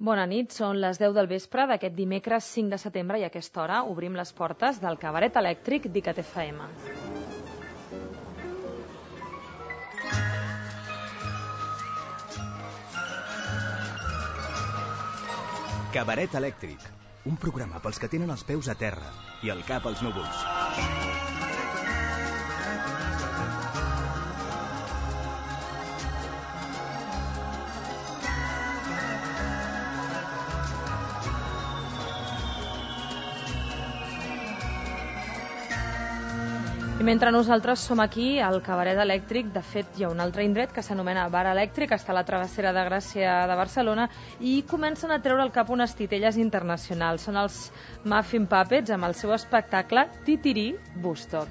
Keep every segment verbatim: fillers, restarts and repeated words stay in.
Bona nit, són les deu del vespre d'aquest dimecres cinc de setembre i a aquesta hora obrim les portes del cabaret elèctric d'Icat F M. Cabaret elèctric, un programa pels que tenen els peus a terra i el cap als núvols. I mentre nosaltres som aquí, al cabaret elèctric, de fet hi ha un altre indret que s'anomena Bar Elèctric, està a la travessera de Gràcia de Barcelona, i comencen a treure al cap unes titelles internacionals. Són els Muffin Puppets amb el seu espectacle Titirí Woodstock.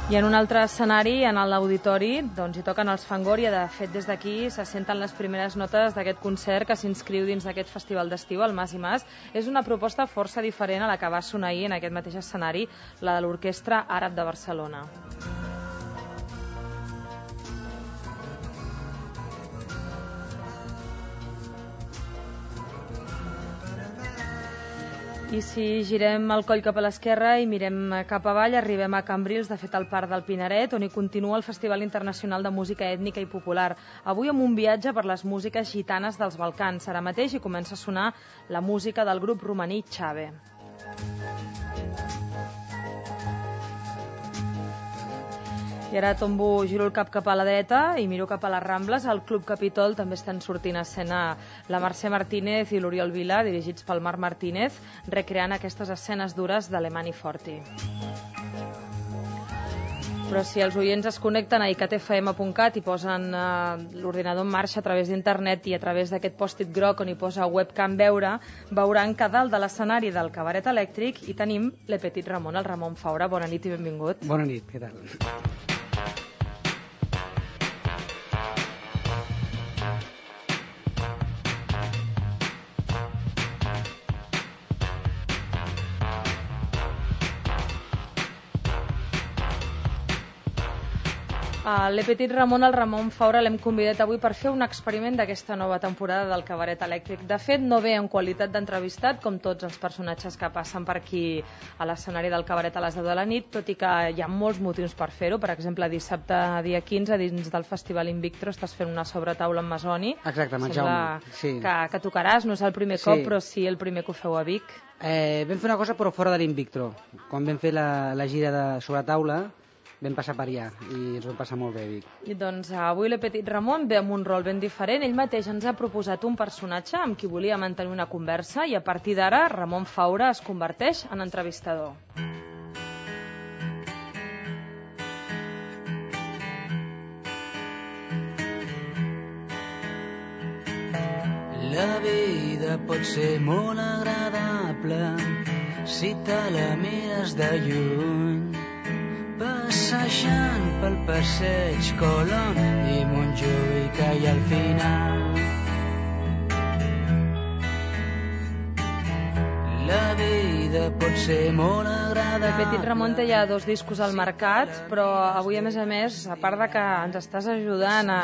I en un altre escenari, en l'auditori, doncs hi toquen els Fangoria. De fet, des d'aquí se senten les primeres notes d'aquest concert que s'inscriu dins d'aquest festival d'estiu, el Mas i Mas. És una proposta força diferent a la que va sonar ahir en aquest mateix escenari, la de l'Orquestra Àrab de Barcelona. I si girem el coll cap a l'esquerra i mirem cap avall, arribem a Cambrils, de fet al Parc del Pinaret, on hi continua el Festival Internacional de Música Ètnica i Popular. Avui amb un viatge per les músiques gitanes dels Balcans. Ara mateix hi comença a sonar la música del grup romaní Xave. I ara tombo, giro el cap cap a la dreta i miro cap a les Rambles. Al Club Capitol també estan sortint a escena la Mercè Martínez i l'Oriol Vila, dirigits pel Marc Martínez, recreant aquestes escenes dures d'Alemany Forti. Però si els oients es connecten a icat f m punt cat i posen uh, l'ordinador en marxa a través d'internet i a través d'aquest pòstit groc on hi posa webcam veure, veuran que dalt de l'escenari del cabaret elèctric hi tenim Le Petit Ramon, el Ramon Faura. Bona nit i benvingut. Bona nit, què tal? Uh, Le Petit Ramon, el Ramon Faura, l'hem convidat avui per fer un experiment d'aquesta nova temporada del cabaret elèctric. De fet, no ve en qualitat d'entrevistat, com tots els personatges que passen per aquí a l'escenari del cabaret a les deu de la nit, tot i que hi ha molts motius per fer-ho. Per exemple, dissabte, dia quinze, dins del Festival Invictro, estàs fent una sobretaula amb Masoni. Exacte, amb el Jaume. Sí. Que, que tocaràs, no és el primer sí. cop, però sí el primer que ho feu a Vic. Eh, vam fer una cosa, però fora de l'Invictro. Quan vam fer la, la gira de sobretaula, vam passar per allà i ens ho vam passar molt bé, Vic. I doncs avui Le Petit Ramon ve amb un rol ben diferent. Ell mateix ens ha proposat un personatge amb qui volia mantenir una conversa i a partir d'ara Ramon Faura es converteix en entrevistador. La vida pot ser molt agradable si te la mires de lluny, passejant pel passeig Colom i Montjuïc que hi ha al final. La vida pot ser molt agradable. Le Petit Ramon té ja dos discos al mercat, però avui, a més a més, a part de que ens estàs ajudant a,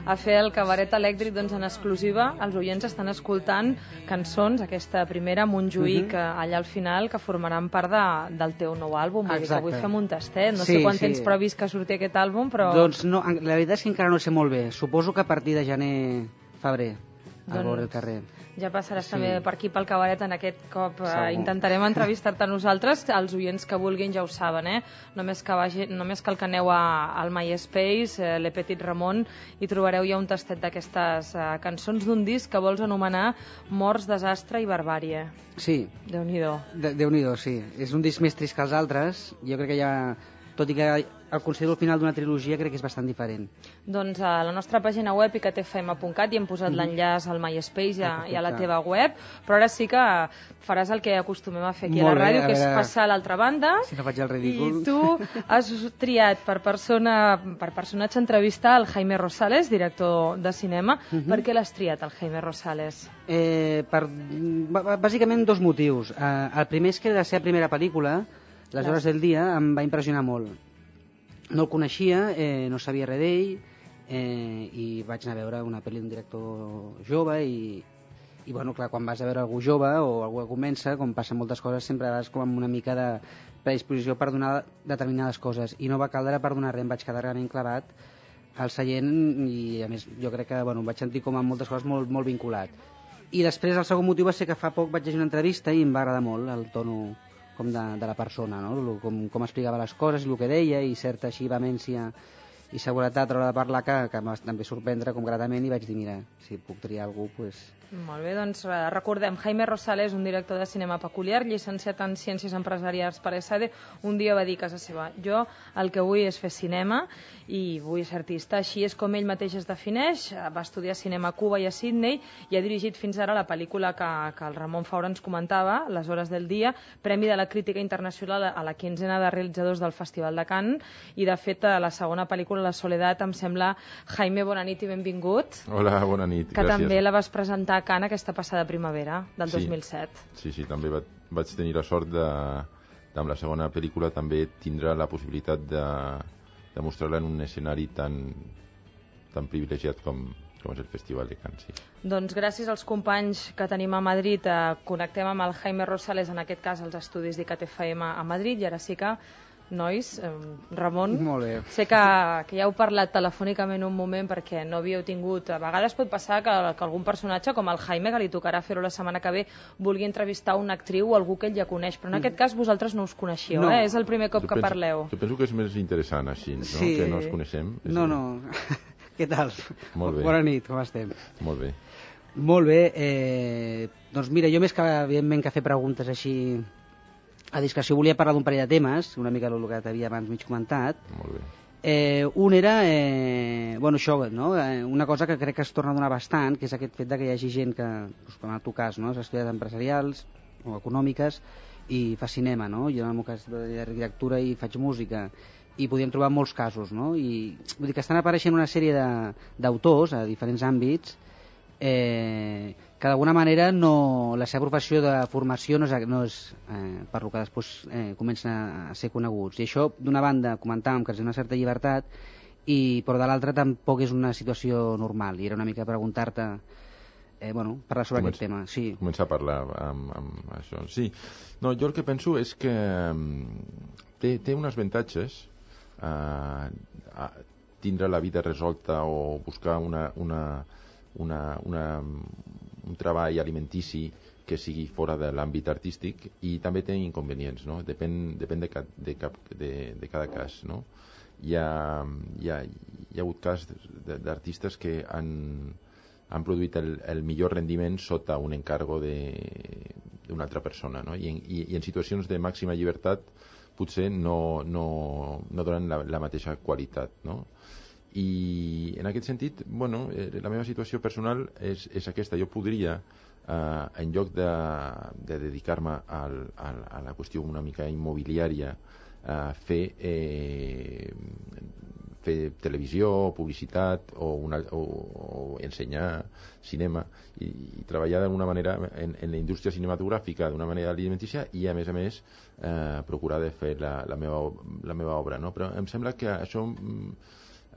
a fer el cabaret elèctric, doncs en exclusiva, els oients estan escoltant cançons, aquesta primera, Montjuïc, uh -huh. allà al final, que formaran part de, del teu nou àlbum. Vull dir que avui fem un tastet. No sí, sé quan sí. tens previst que surti aquest àlbum, però... Doncs no, la veritat és que encara no sé molt bé. Suposo que a partir de gener, febrer, al doncs... vora del carrer. Ja passaràs sí. també per aquí pel cabaret en aquest cop. Eh, intentarem entrevistar-te a nosaltres. Els oients que vulguin ja ho saben, eh? Només, que vagi, només cal que aneu a, al MySpace, eh, Le Petit Ramon, i trobareu ja un tastet d'aquestes eh, cançons d'un disc que vols anomenar Morts, Desastre i Barbàrie. Sí. Déu-n'hi-do. De, Déu-n'hi-do, sí. És un disc més trist que els altres. Jo crec que ja... Tot i que el considero el final d'una trilogia, crec que és bastant diferent. Doncs a la nostra pàgina web, icat f m punt cat, hi hem posat mm -hmm. l'enllaç al MySpace i a, i a la teva web, però ara sí que faràs el que acostumem a fer aquí Molt a la ràdio, bé, a que veure... és passar a l'altra banda. Si no faig el ridícul. I tu has triat per, persona, per personatge entrevistar el Jaime Rosales, director de cinema. Mm -hmm. Per què l'has triat, el Jaime Rosales? Eh, per, bàsicament dos motius. Eh, el primer és que la seva primera pel·lícula, Les hores del dia, em va impressionar molt. no el coneixia, eh, no sabia res d'ell, eh, i vaig anar a veure una pel·li d'un director jove i, i bueno, clar, quan vas a veure algú jove o algú que comença, com passen moltes coses, sempre vas com amb una mica de predisposició per donar determinades coses, i no va caldre per donar res, em vaig quedar realment clavat al seient, i a més jo crec que bueno, em vaig sentir com amb moltes coses molt, molt vinculat. I després el segon motiu va ser que fa poc vaig llegir una entrevista i em va agradar molt el tono com de, de la persona, no? com, com explicava les coses, el que deia, i certa així vehemència i seguretat a l'hora de parlar que, que em va també sorprendre com gratament, i vaig dir, mira, si puc triar algú, doncs... Pues... Molt bé, doncs recordem, Jaime Rosales, un director de cinema peculiar, llicenciat en Ciències Empresarials per ESADE, un dia va dir a casa seva, jo el que vull és fer cinema i vull ser artista, així és com ell mateix es defineix, va estudiar cinema a Cuba i a Sydney i ha dirigit fins ara la pel·lícula que, que el Ramon Faura ens comentava, Les hores del dia, Premi de la Crítica Internacional a la quinzena de realitzadors del Festival de Cannes, i de fet a la segona pel·lícula, La Soledat, em sembla, Jaime, bona nit i benvingut. Hola, bona nit, que gràcies. També la vas presentar a Cannes aquesta passada primavera del sí, dos mil set. Sí, sí, també va, vaig tenir la sort de, de, amb la segona pel·lícula, també tindrà la possibilitat de, de mostrar-la en un escenari tan, tan privilegiat com, com és el Festival de Cannes. Sí. Doncs gràcies als companys que tenim a Madrid, eh, connectem amb el Jaime Rosales, en aquest cas als estudis d'I C A T F M a Madrid, i ara sí que nois, eh, Ramon, molt bé. Sé que, que ja heu parlat telefònicament un moment perquè no havíeu tingut, a vegades pot passar que, que algun personatge com el Jaime, que li tocarà fer-ho la setmana que ve, vulgui entrevistar una actriu o algú que ell ja coneix, però en aquest cas vosaltres no us coneixeu, no. eh? És el primer cop jo que penso, parleu. Jo penso que és més interessant així, no? Sí. Que no ens coneixem. És no, dir... no, què tal? Molt bé. Bona nit, com estem? Molt bé. Molt bé, eh, doncs mira, jo més que evidentment que fer preguntes així a discreció volia parlar d'un parell de temes, una mica el que t'havia abans mig comentat. Molt bé. Eh, un era, eh, bueno, això, no? eh, una cosa que crec que es torna a donar bastant, que és aquest fet de que hi hagi gent que, doncs, com en el teu cas, no? has estudiat empresarials o econòmiques i fa cinema, no? Jo en el meu cas de arquitectura i faig música, i podíem trobar molts casos, no? I vull dir que estan apareixent una sèrie d'autors a diferents àmbits, eh, que d'alguna manera no, la seva professió de formació no és, no és eh, per lo que després eh, comencen a ser coneguts, i això d'una banda comentàvem que és una certa llibertat, i però de l'altra tampoc és una situació normal, i era una mica preguntar-te eh, bueno, parlar sobre Comença, aquest tema. Sí. Començar a parlar amb, amb això. Sí, no, jo el que penso és que té, té uns avantatges eh, a tindre la vida resolta o buscar una, una, una, una un treball alimentici que sigui fora de l'àmbit artístic, i també té inconvenients, no? Depèn, depèn de, ca, de, cap, de, de cada cas, no? Hi ha, hi ha, hi ha hagut cas d'artistes que han, han produït el, el millor rendiment sota un encargo d'una altra persona, no? I, en, i, i en situacions de màxima llibertat potser no, no, no donen la, la mateixa qualitat, no? I en aquest sentit, bueno, eh, la meva situació personal és, és aquesta. Jo podria, eh, en lloc de, de dedicar-me al, al, a la qüestió una mica immobiliària, eh, fer, eh, fer televisió, publicitat o, una, o, o ensenyar cinema i, i treballar d'alguna manera en, en la indústria cinematogràfica d'una manera alimentícia, i a més a més eh, procurar de fer la, la, meva, la meva obra, no? Però em sembla que això em,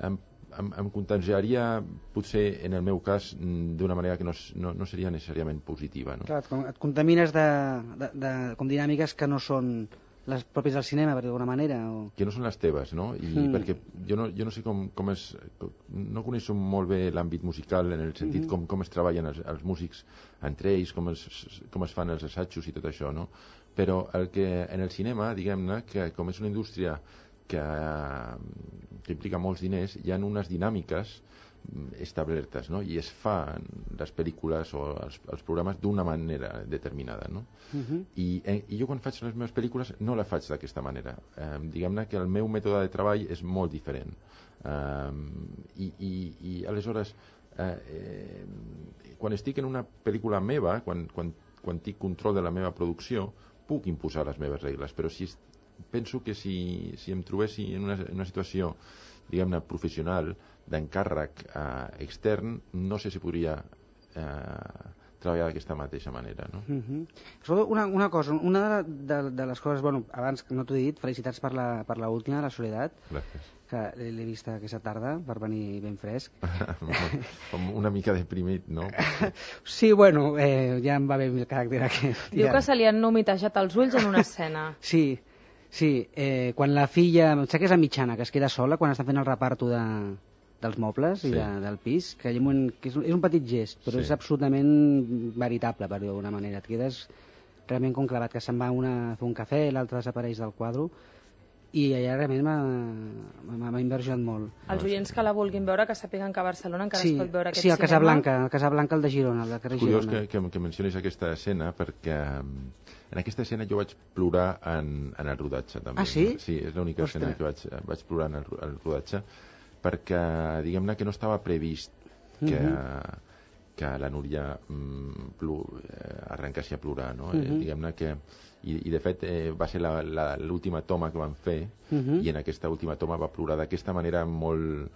em, em contagiaria potser en el meu cas d'una manera que no, no, no seria necessàriament positiva, no? Clar, et contamines de, de, de com dinàmiques que no són les pròpies del cinema, per d'alguna manera, o... que no són les teves, no? I mm. perquè jo no, jo no sé com, com és, no coneixo molt bé l'àmbit musical en el sentit mm-hmm. com, com es treballen els, els músics entre ells, com es, com es fan els assajos i tot això, no? Però el que en el cinema, diguem-ne, que com és una indústria que, que implica molts diners, hi ha unes dinàmiques establertes, no? I es fan les pel·lícules o els, els programes d'una manera determinada, no? Uh-huh. I, eh, I jo quan faig les meves pel·lícules no la faig d'aquesta manera. Eh, diguem-ne que el meu mètode de treball és molt diferent. Eh, i, i, I aleshores, eh, eh, quan estic en una pel·lícula meva, quan, quan, quan tinc control de la meva producció, puc imposar les meves regles, però si penso que si, si em trobessi en una, en una situació, diguem-ne, professional, d'encàrrec eh, extern, no sé si podria eh, treballar d'aquesta mateixa manera, no? Uh-huh. Una, una cosa, una de, de, de les coses, bueno, abans no t'ho he dit, felicitats per la, per la última, La Soledat. Gràcies. que l'he vist aquesta tarda per venir ben fresc. Com una mica deprimit, no? Sí, bueno, eh, ja em va bé el caràcter aquest. Diu ja. que se li han humitejat els ulls en una escena. Sí, sí, eh, quan la filla, em sembla que és la mitjana, que es queda sola quan estan fent el reparto de, dels mobles Sí. i de, del pis, que, hi ha un, moment- que és, un- és un petit gest, però Sí. és absolutament veritable, per dir-ho d'alguna manera. Et quedes realment com clavat, que se'n va una a fer un cafè, l'altra desapareix del quadre, i allà realment m'ha- m'ha m'ha inversionat molt. Els oients que la vulguin veure, que sàpiguen que a Barcelona encara Sí, es pot veure aquest sí, el cinema. Casablanca, el Casablanca, el de Girona, el de carrer Curiós Girona. que, que, que mencionis aquesta escena perquè mm, en aquesta escena jo vaig plorar en, en el rodatge també. Ah, sí? No? Sí, és l'única Ostres. escena que vaig, vaig plorar en el, ro- el rodatge perquè diguem-ne que no estava previst que, Mhm. que la Núria mm, plu, eh, arrencassi a plorar, no? Mhm. eh, diguem-ne que i, i de fet eh, va ser la- la- l'última toma que van fer Mhm. i en aquesta última toma va plorar d'aquesta manera molt,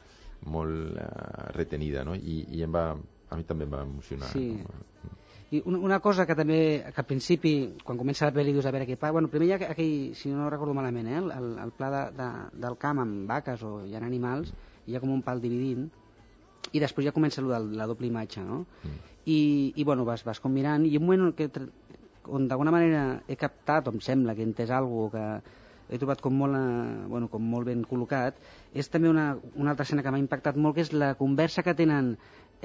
molt uh, retenida, no? I, i em va, a mi també em va emocionar. Sí. No? I una, una cosa que també, que al principi, quan comença la pel·li, dius a veure què pa... Bueno, primer hi ha aquell, si no recordo malament, eh, el, el pla de, de, del camp amb vaques o hi ha animals, hi ha com un pal dividint, i després ja comença allò de la doble imatge, no? Mm. I, i bueno, vas, vas com mirant, i un moment on, que, on d'alguna manera he captat, o em sembla que he entès alguna cosa que he trobat com molt, eh, bueno, com molt ben col·locat, és també una, una altra escena que m'ha impactat molt, que és la conversa que tenen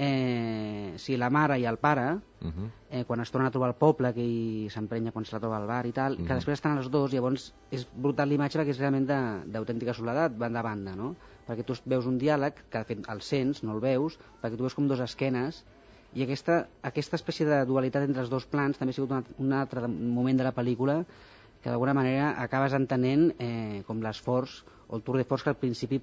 eh, si la mare i el pare, Uh -huh. eh, quan es torna a trobar al poble, que ell s'emprenya quan se la troba al bar i tal, Mhm. que després estan els dos, llavors és brutal l'imatge perquè és realment de- d'autèntica soledat, banda a banda, no? Perquè tu veus un diàleg, que de fet el sents, no el veus, perquè tu veus com dos esquenes, i aquesta, aquesta espècie de dualitat entre els dos plans també ha sigut un, un altre moment de la pel·lícula que d'alguna manera acabes entenent eh, com l'esforç o el tour de force que al principi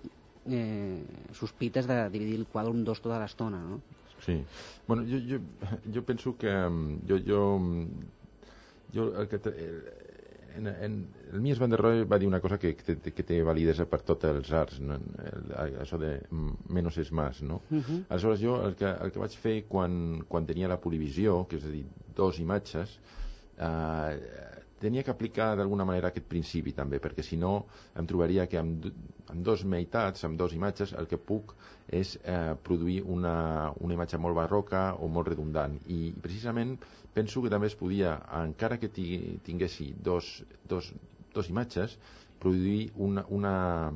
eh, sospites de dividir el quadre en dos tota l'estona, no? Sí. Bueno, jo, jo, jo penso que mm, jo, jo, mm, jo el que te, en, en, el Mies van der Rohe va dir una cosa que, que, té- que té validesa per tots els arts, no? El, això de mm, menos es más, no? Mhm. Aleshores jo el que, el que vaig fer quan, quan tenia la polivisió, que és a dir, dos imatges, eh, tenia que aplicar d'alguna manera aquest principi també, perquè si no em trobaria que amb, amb dos meitats, amb dos imatges, el que puc és eh, produir una, una imatge molt barroca o molt redundant. I precisament penso que també es podia, encara que ti- tinguessi dos, dos, dos imatges, produir una, una,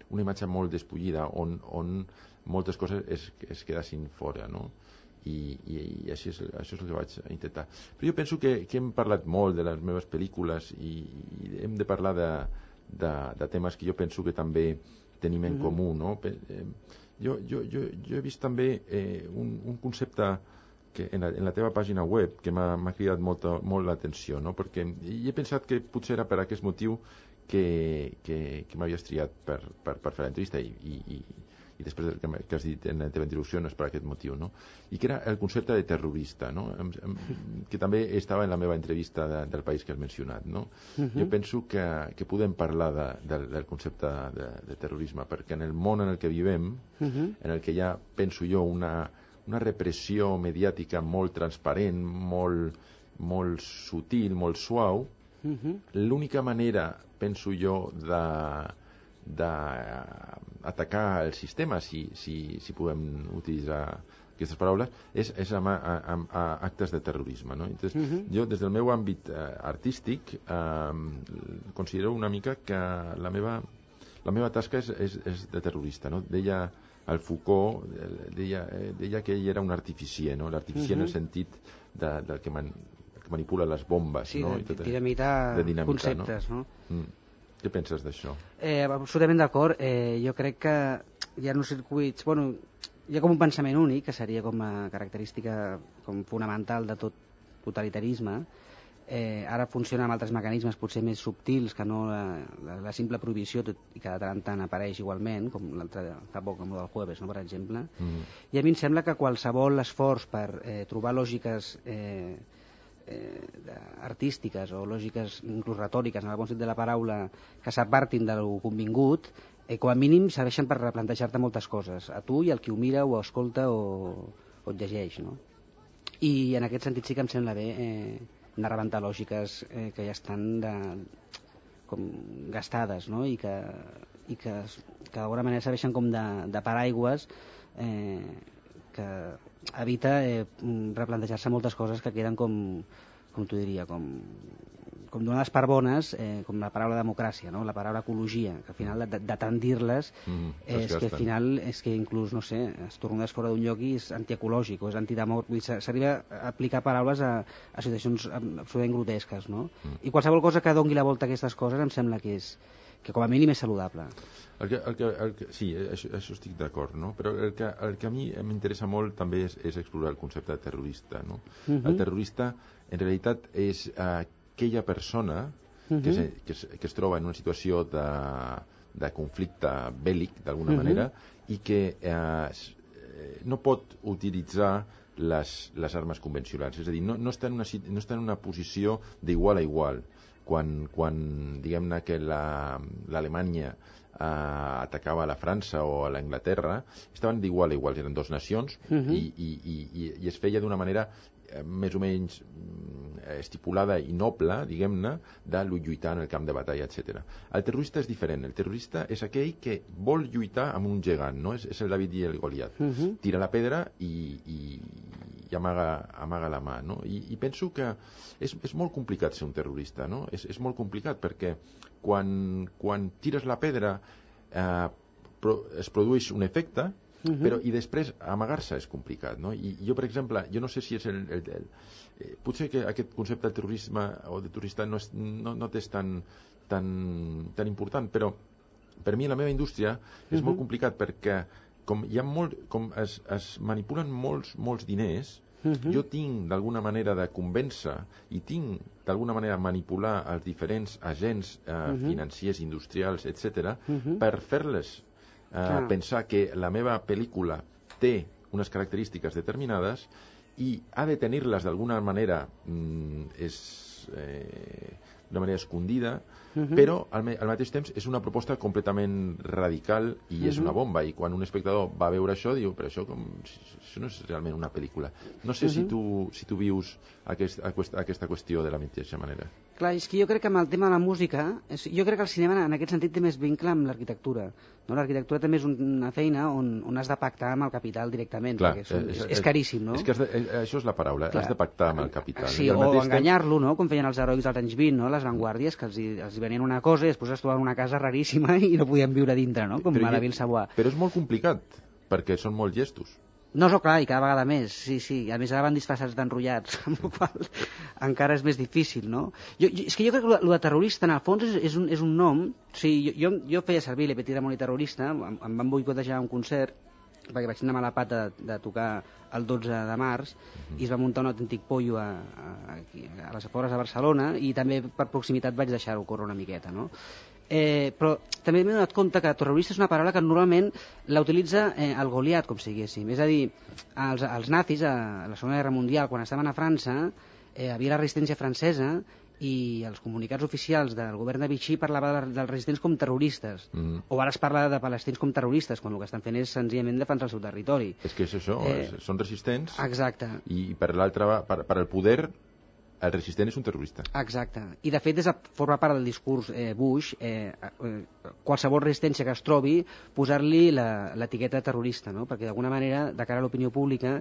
una imatge molt despullida on, on moltes coses es, es quedassin fora, no? I, i, i així és, això és el que vaig intentar. Però jo penso que, que hem parlat molt de les meves pel·lícules i, i hem de parlar de, de, de temes que jo penso que també tenim en Mhm. comú, no? Pe- eh, jo, jo, jo, jo he vist també eh, un, un concepte que en la, en la teva pàgina web que m'ha m'ha cridat molt, molt l'atenció, no? Perquè i he pensat que potser era per aquest motiu que, que, que m'havies triat per, per, per fer l'entrevista i, i, i, i després del que, m'ha- que has dit en la teva introducció no és per aquest motiu, no? I que era el concepte de terrorista, no? Em, em, que també estava en la meva entrevista de, del país que has mencionat, no? Mhm. Jo penso que, que podem parlar de, del, del concepte de, de terrorisme perquè en el món en el que vivem, Mhm. en el que hi ha, penso jo, una, una repressió mediàtica molt transparent, molt, molt sutil, molt suau, Mhm. l'única manera, penso jo, de d'atacar el sistema, si, si, si podem utilitzar aquestes paraules, és, és amb, amb, amb actes de terrorisme, no? Entonces, Mhm. jo, des del meu àmbit eh, artístic, eh, considero una mica que la meva, la meva tasca és, és, és de terrorista, no? Deia el Foucault, eh, deia, eh, deia que ell era un artificier, no? L'artificier Mhm. en el sentit de, del que, man, que manipula les bombes, Sí, no? de, I tot- dinamitar de dinamitar, conceptes, no? no? Mm. Què penses d'això? Eh, absolutament d'acord. Eh, jo crec que hi ha uns circuits... Bueno, hi ha com un pensament únic, que seria com a característica com fonamental de tot totalitarisme. Eh, ara funciona amb altres mecanismes potser més subtils que no la, la, la simple prohibició, tot, i que de tant en tant apareix igualment, com l'altre fa poc amb el del jueves, no, per exemple. Mm. I a mi em sembla que qualsevol esforç per eh, trobar lògiques eh, eh, artístiques o lògiques inclús retòriques, en el bon sentit de la paraula, que s'apartin de lo convingut, eh, com a mínim serveixen per replantejar-te moltes coses, a tu i al qui ho mira o escolta o, o et llegeix, no? I en aquest sentit sí que em sembla bé eh, anar a rebentar lògiques eh, que ja estan de, com gastades, no? I que, i que, que d'alguna manera serveixen com de, de paraigües eh, que evita eh, replantejar-se moltes coses que queden com, com t'ho diria, com, com donades per bones, eh, com la paraula democràcia, no? La paraula ecologia, que al final de, de tant dir-les mm, és que al final és que inclús, no sé, es tornes fora d'un lloc i és antiecològic o és antidemocràtic, s'arriba a aplicar paraules a, a situacions absolutament grotesques, no? Mm. I qualsevol cosa que dongui la volta a aquestes coses em sembla que és que com a mínim és saludable. El que, el que, el que, sí, això, això estic d'acord, no? Però el que, el que a mi m'interessa molt també és, és explorar el concepte de terrorista, no? Uh-huh. El terrorista en realitat és uh, aquella persona uh-huh. que, es, que, es, que es troba en una situació de, de conflicte bèl·lic d'alguna uh-huh. manera i que uh, no pot utilitzar les, les armes convencionals, és a dir, no, no, està en una, no està en una posició d'igual a igual. Quan, quan diguem-ne que l'Alemanya la, eh, atacava a la França o a l'Anglaterra, estaven d'igual a igual, eren dues nacions, uh-huh. i, i, i, i es feia d'una manera eh, més o menys eh, estipulada i noble, diguem-ne, de lluitar en el camp de batalla, etcètera. El terrorista és diferent. El terrorista és aquell que vol lluitar amb un gegant, no? És, és el David i el Goliat. Uh-huh. Tira la pedra i, i, i amaga, amaga la mà, no? I, i penso que és, és molt complicat ser un terrorista, no? És, és molt complicat perquè quan, quan tires la pedra eh, pro, es produeix un efecte, uh-huh. però i després amagar-se és complicat, no? I jo, per exemple, jo no sé si és el... el, el eh, potser que aquest concepte de terrorisme o de turista no és, no, no és tan, tan, tan important, però per mi la meva indústria és uh-huh. molt complicat perquè com hi ha molt, com es, es manipulen molts, molts diners, uh-huh. jo tinc d'alguna manera de convèncer i tinc d'alguna manera manipular els diferents agents eh, uh-huh. financiers, industrials, etcètera, uh-huh. per fer-les eh, pensar que la meva pel·lícula té unes característiques determinades i ha de tenir-les d'alguna manera mm, és eh, d'una manera escondida, uh-huh. però al, me al mateix temps és una proposta completament radical i uh-huh. és una bomba, i quan un espectador va veure això diu, però això, com, això no és realment una pel·lícula. No sé uh-huh. si, tu, si tu vius aquest, aquesta qüestió de la mateixa manera. Clar, és que jo crec que amb el tema de la música, és, jo crec que el cinema en aquest sentit té més vincle amb l'arquitectura. No? L'arquitectura també és una feina on, on has de pactar amb el capital directament, clar, perquè és, és, és, és caríssim, no? És que has de, això és la paraula, clar. Has de pactar amb el capital. Sí, o enganyar-lo, no? Com feien els heroics dels anys vint, no? Les vanguardies, que els, els hi venien una cosa i després es trobaven una casa raríssima i no podien viure dintre, no? Com a la Ville-Savoie. Però és molt complicat, perquè són molts gestos. No, no, clar, i cada vegada més, sí, sí. A més, ara van disfressats d'enrotllats, amb la qual encara és més difícil, no? Jo, jo, és que jo crec que el de terrorista, en el fons, és, és, un, és un nom. O sigui, jo, jo, jo feia servir Le Petit Ramon i terrorista, em, em van boicotejar un concert, perquè vaig anar a la pata de, de tocar el dotze de març, mm-hmm. i es va muntar un autèntic pollo a, a, a les afores de Barcelona, i també per proximitat vaig deixar-ho córrer una miqueta, no? Eh, però també m'he donat compte que terrorista és una paraula que normalment la utilitza eh, el Goliat, com si diguéssim. És a dir, els, els nazis a la Segona Guerra Mundial, quan estaven a França, eh, havia la resistència francesa i els comunicats oficials del govern de Vichy parlava dels resistents com terroristes. Mm. O ara es parla de palestins com terroristes, quan el que estan fent és senzillament defensar el seu territori. És que és això, eh, és, són resistents. Exacte. I per l'altra, per, per el poder, el resistent és un terrorista. Exacte. I de fet és a, forma part del discurs eh, Bush, eh, eh, qualsevol resistència que es trobi, posar-li l'etiqueta terrorista, no? Perquè d'alguna manera, de cara a l'opinió pública,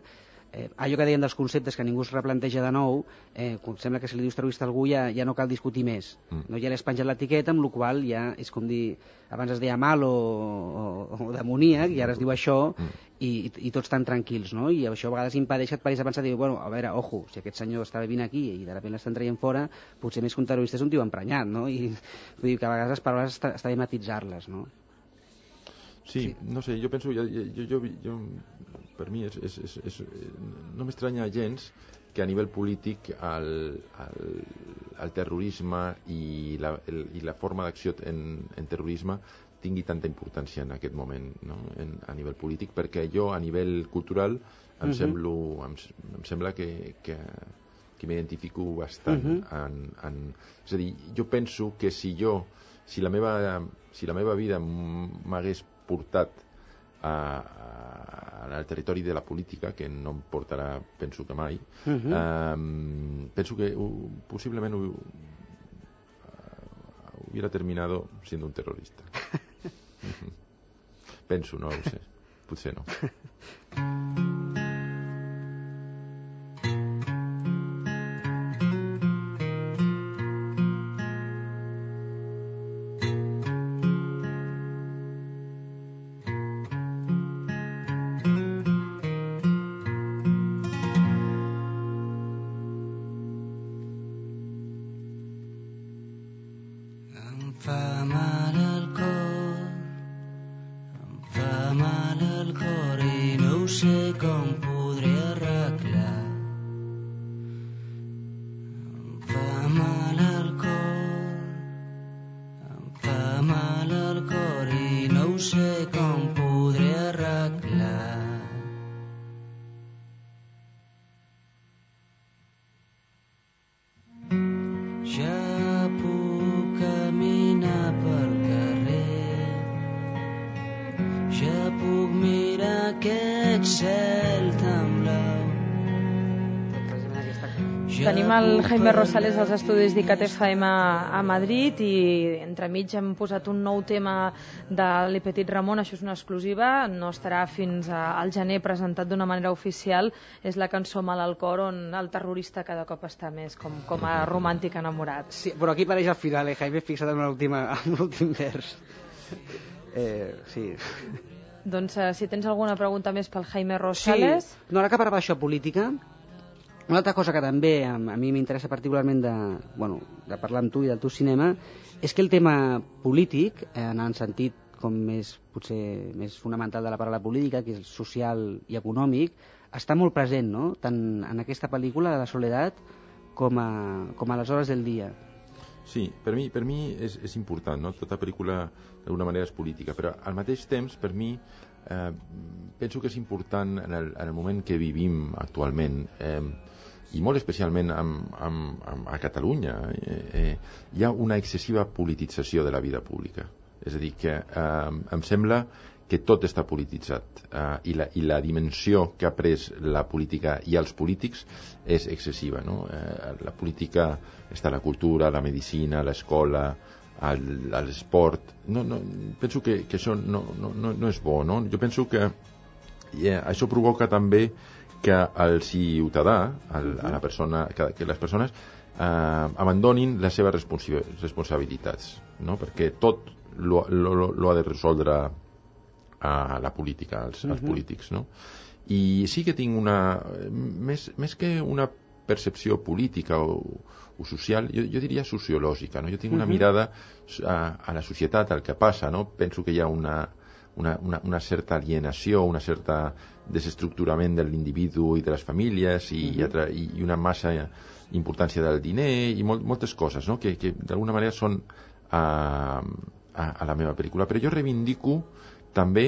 eh, allò que deien dels conceptes que ningú es replanteja de nou, eh, sembla que si li dius terrorista a algú ja, ja no cal discutir més. Mm. No? Ja l'has penjat l'etiqueta, amb la qual ja és com dir, abans es deia mal o, o, o demoníac, i ara es diu això, mm. i, i tots tan tranquils, no? I això a vegades impedeix que et paris a pensar, dir, bueno, a veure, ojo, si aquest senyor està vivint aquí i de sobte l'estan traient fora, potser més que un terrorista és un tio emprenyat, no? I vull dir que a vegades les paraules està, està bé matitzar-les, no? Sí, sí, no sé, jo penso, jo, jo, jo, jo per mi és, és, és, és, no m'estranya gens que a nivell polític el, el, el terrorisme i la, el, i la forma d'acció en, en terrorisme tingui tanta importància en aquest moment, no? en, a nivell polític, perquè jo a nivell cultural em, uh-huh. semblo, em, em sembla que, que, que m'identifico bastant. Uh-huh. en, en, és a dir, jo penso que si jo, si la meva, si la meva vida m'hagués portat a, a, al territori de la política, que no em portarà, penso que mai, uh-huh. um, penso que uh, possiblement uh, hubiera terminado siendo un terrorista. Penso, no ho sé. Potser no. Tenim el Jaime Rosales als estudis d'I C A T F M a Madrid i entremig hem posat un nou tema de Le Petit Ramon, això és una exclusiva, no estarà fins al gener presentat d'una manera oficial, és la cançó Mal al cor, on el terrorista cada cop està més com, com a romàntic enamorat. Sí, però aquí apareix al final, eh, Jaime, fixa't en l'últim vers. Eh, sí... Doncs uh, si tens alguna pregunta més pel Jaime Rosales... Sí. No, ara que parlava això política, una altra cosa que també a, a mi m'interessa particularment de, bueno, de parlar amb tu i del teu cinema és que el tema polític, en el sentit com més, potser més fonamental de la paraula política, que és social i econòmic, està molt present, no? Tant en aquesta pel·lícula de la Soledat com a, com a les hores del dia. Sí, per mi, per mi és, és important, no? Tota pel·lícula d'alguna manera és política, però al mateix temps, per mi, eh, penso que és important en el, en el moment que vivim actualment, eh, i molt especialment amb, amb, amb, a Catalunya, eh, eh, hi ha una excessiva politització de la vida pública. És a dir, que eh, em sembla que tot està polititzat eh, i, la, i la dimensió que ha pres la política i els polítics és excessiva, no? Eh, la política està a la cultura, la medicina, l'escola, l'esport. No, no, penso que, que això no, no, no és bo, no? Jo penso que eh, això provoca també que el ciutadà, el, a la persona, que, que les persones eh, abandonin les seves responsi- responsabilitats, no? Perquè tot lo, lo, lo ha de resoldre a la política, als, als uh-huh. polítics, no? I sí que tinc una... Més, més que una percepció política o, o social, jo, jo diria sociològica, no? Jo tinc una uh-huh. mirada a, a la societat, al que passa, no? Penso que hi ha una, una, una, una certa alienació, una certa desestructurament de l'individu i de les famílies i, uh-huh. i, i una massa importància del diner i molt, moltes coses, no? Que, que d'alguna manera són a, a, a la meva pel·lícula. Però jo reivindico també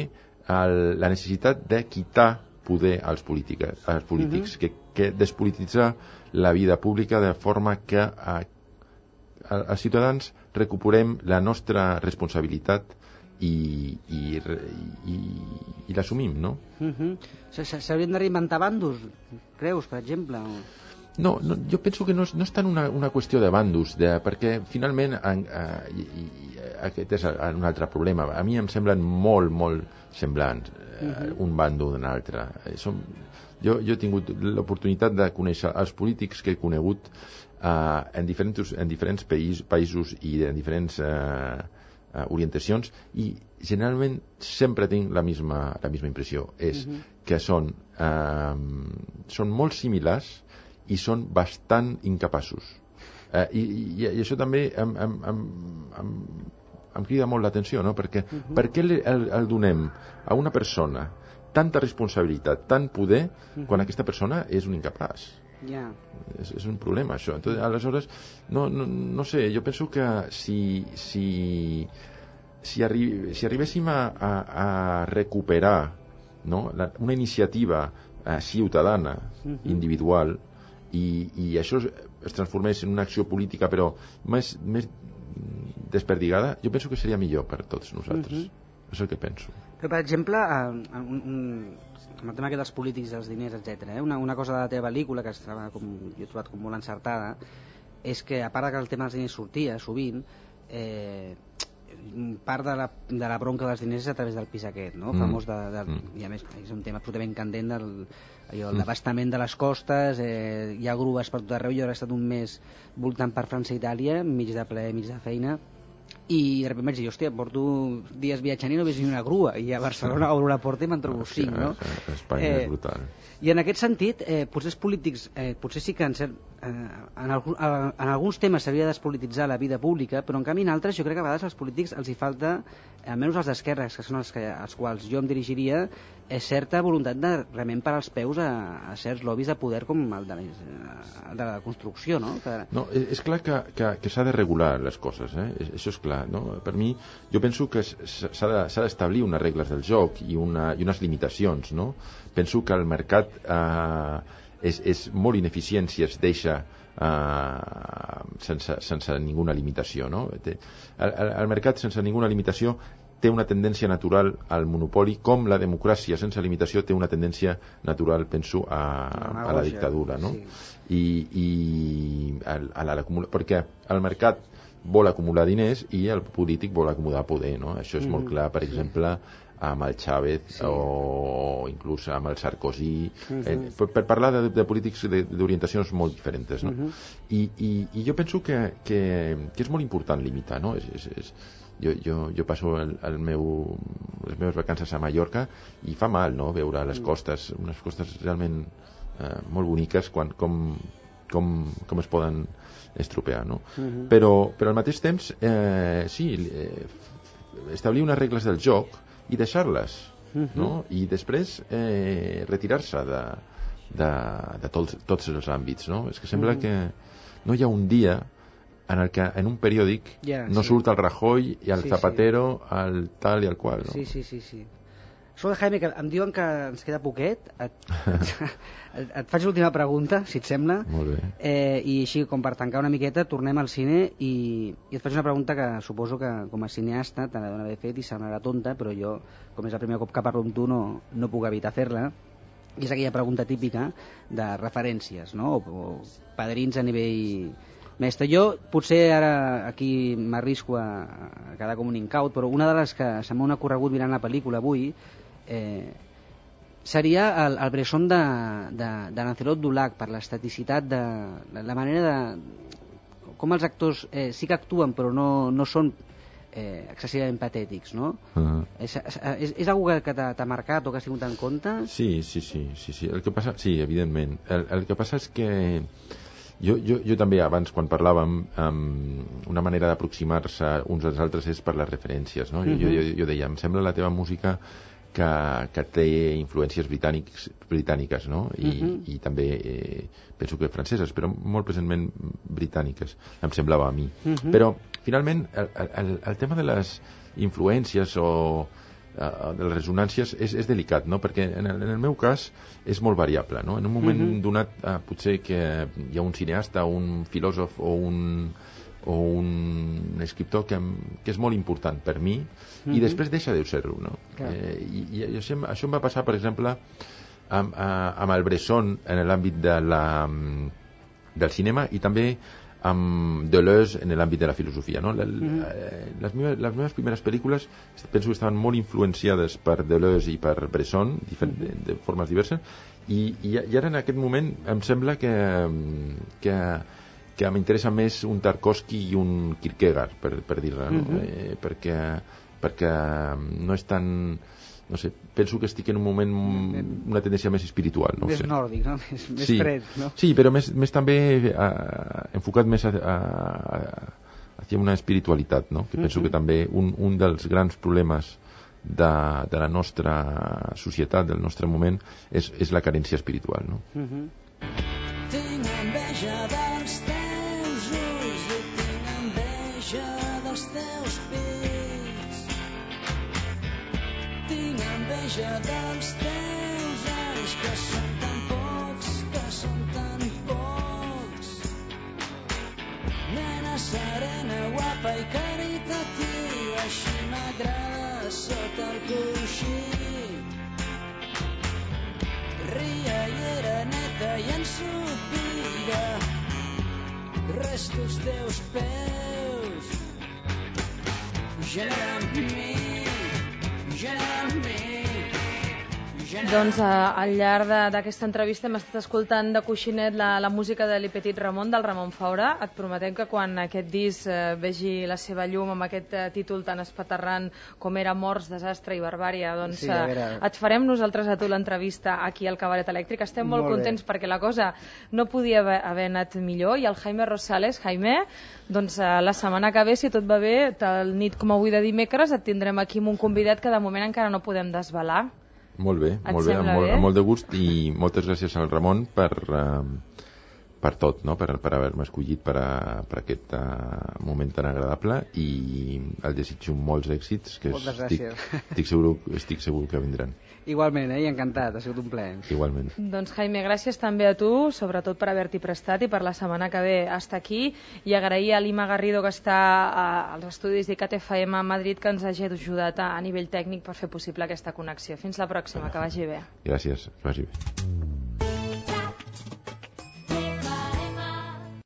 el, la necessitat de quitar poder als, política, als polítics, uh-huh. que, que despolititzar la vida pública de forma que a, a, als ciutadans recuperem la nostra responsabilitat i, i, i, i l'assumim, no? Uh-huh. S'haurien de reinventar bandos, creus, per exemple? O... No, no, jo penso que no és, no és tant una, una qüestió de bandos, de, perquè finalment en, eh, i, i, aquest és un altre problema. A mi em semblen molt, molt semblants eh, uh-huh. un bando d'un altre. Eh, som, jo, jo he tingut l'oportunitat de conèixer els polítics que he conegut eh, en diferents, en diferents païs, països i en diferents eh, eh, orientacions i generalment sempre tinc la misma, la misma impressió. És uh-huh. que són, eh, són molt similars i són bastant incapaços. Eh, i, i, I això també em, em, em, em, em crida molt l'atenció, no? Perquè uh-huh. per què el, el donem a una persona tanta responsabilitat, tant poder, uh-huh. quan aquesta persona és un incapaç? Yeah. És, és un problema, això. Entonces, aleshores, no, no, no sé, jo penso que si, si, si, arri si arribéssim a, a, a recuperar, no? La, una iniciativa eh, ciutadana, uh-huh. individual, i, i això es transformés en una acció política però més, més desperdigada, jo penso que seria millor per tots nosaltres. Uh-huh. És el que penso. Però, per exemple, un, un, amb el tema dels polítics, dels diners, etcètera, eh? una, una cosa de la teva pel·lícula que estava com, jo he trobat com molt encertada és que, a part que el tema dels diners sortia sovint, eh, part de la, de la bronca dels diners és a través del pis aquest, no? Mm. Famós de, de, mm. i a més és un tema absolutament candent del, allò, el mm. devastament de les costes, eh, hi ha grues per tot arreu. Jo he estat un mes voltant per França i Itàlia, mig de ple, mig de feina, i de sobte vaig dir, hòstia, porto dies viatjant i no he vist ni una grua, i a Barcelona obro la porta i me'n trobo cinc, no? Espanya eh, és brutal. I en aquest sentit, eh, potser els polítics, eh, potser sí que en, cert, eh, en, algun, en alguns temes s'hauria de despolititzar la vida pública, però en canvi en altres jo crec que a vegades als polítics els hi falta, almenys als d'esquerres, que són els que, als quals jo em dirigiria, és certa voluntat de realment parar els peus a, a certs lobbies de poder com el de la, el de la construcció, no? Que... No, és clar que, que, que s'ha de regular les coses, eh? Això és clar, no? Per mi, jo penso que s'ha d'establir unes regles del joc i, una, i unes limitacions, no? Penso que el mercat eh, és, és molt ineficient si es deixa eh, sense, sense ninguna limitació, no? El, el, el mercat sense ninguna limitació té una tendència natural al monopoli, com la democràcia sense limitació té una tendència natural, penso, a, a la dictadura, no? Sí. I, i a, a la, perquè el mercat vol acumular diners i el polític vol acumular poder, no? Això és mm, molt clar, per sí. exemple, amb el Chávez sí. o inclús amb el Sarkozy, mm-hmm. eh, per, per parlar de, de polítics d'orientacions molt diferents, no? Mm-hmm. I, i, i jo penso que, que, que és molt important limitar, no? És, és, és, jo, jo, jo passo el, el meu, les meves vacances a Mallorca i fa mal, no?, veure les costes, unes costes realment eh, molt boniques, quan, com, com, com es poden estropear, no? Uh-huh. Però, però al mateix temps, eh, sí, eh, establir unes regles del joc i deixar-les, uh-huh. no? I després eh, retirar-se de, de, de tots, tots els àmbits, no? És que sembla uh-huh. que no hi ha un dia en el que en un periòdic yeah, no sí. surt el Rajoy i el sí, Zapatero, sí. el tal i el qual, no? Sí, sí, sí, sí. Escolta, Jaime, que em diuen que ens queda poquet. Et, et, et faig l'última pregunta, si et sembla. Molt bé. Eh, I així, com per tancar una miqueta, tornem al cine i, i et faig una pregunta que suposo que com a cineasta te l'he d'haver fet i semblarà tonta, però jo, com és el primer cop que parlo amb tu, no, no puc evitar fer-la. I és aquella pregunta típica de referències, no? O, o padrins a nivell mestre. Jo potser ara aquí m'arrisco a, a quedar com un incaut, però una de les que se m'ha ocorregut mirant la pel·lícula avui eh, seria el, el Bresson de, de, de Lancelot Dulac, per l'estaticitat de, de la manera de com els actors eh, sí que actuen però no, no són eh, excessivament patètics, no? Uh-huh. És, és, és algo que, que t'ha marcat o que has tingut en compte? Sí, sí, sí, sí, sí. El que passa, sí, evidentment. El, el que passa és que Jo, jo, jo també abans quan parlàvem um, una manera d'aproximar-se uns als altres és per les referències, no? Uh-huh. jo, jo, jo deia, em sembla la teva música que, que té influències britànics, britàniques, no? I, uh-huh. i també eh, penso que franceses, però molt presentment britàniques, em semblava a mi. Uh-huh. Però finalment el, el, el tema de les influències o de les resonàncies és, és delicat, no? Perquè en el, en el meu cas és molt variable, no? En un moment uh-huh. donat eh, potser que hi ha un cineasta, un filòsof o un, o un escriptor que, que és molt important per mi uh-huh. i després deixa de ser-ho, no? Eh, i, i això, això em va passar, per exemple, amb, amb el Bresson en l'àmbit de la, del cinema i també amb Deleuze en l'àmbit de la filosofia, no? Les, mm-hmm. les, meves, les meves primeres pel·lícules penso que estaven molt influenciades per Deleuze i per Bresson diferent, mm-hmm. de, de formes diverses i, i, i ara en aquest moment em sembla que, que, que m'interessa més un Tarkovsky i un Kierkegaard, per, per dir-ne, no? Mm-hmm. eh, perquè, perquè no és tan... no sé, penso que estic en un moment una tendència més espiritual, no més sé. nòrdic, no? Més, més sí. fred, no? Sí, però més, més també a, enfocat més a, a, a, hacia una espiritualitat, no? Que penso uh-huh. que també un, un dels grans problemes de, de la nostra societat, del nostre moment, és, és la carència espiritual, no? Uh-huh. Tinc enveja dels teus ulls i tinc enveja dels teus pits. Tinc enveja dels teus anys que són tan pocs, que són tan pocs. Nena serena, guapa i caritativa, així m'agrada sota el coixí. Ria i era neta i ensopida, restos teus peus. genera en mi, genera en mi. Doncs eh, al llarg de- d'aquesta entrevista hem estat escoltant de coixinet la, la música de Li Petit Ramon, del Ramon Faura. Et prometem que quan aquest disc eh, vegi la seva llum amb aquest eh, títol tan espaterrant com era Morts, Desastre i Barbària, doncs Sí, a eh, veure. et farem nosaltres a tu l'entrevista aquí al Cabaret Elèctric. Estem molt, Molt bé. contents perquè la cosa no podia haver, haver anat millor, i el Jaime Rosales, Jaime, doncs eh, la setmana que ve, si tot va bé, tal nit com avui de dimecres, et tindrem aquí amb un convidat que de moment encara no podem desvelar. Molt bé, Et molt bé, amb sembla molt, bé? amb molt de gust, i moltes gràcies al Ramon per, eh, per tot, no? per, per haver-me escollit per, a, per aquest uh, moment tan agradable, i el desitjo molts èxits, que Moltes estic, gràcies. estic, segur, estic segur que vindran. Igualment, eh? I encantat, ha sigut un plaer. Igualment. Doncs Jaime, gràcies també a tu, sobretot per haver-t'hi prestat i per la setmana que ve estar aquí, i agrair a l'Ima Garrido, que està a, als estudis d'ICAT F M a Madrid, que ens hagi ajudat a, a nivell tècnic per fer possible aquesta connexió. Fins la pròxima, que vagi bé. Gràcies, que vagi bé.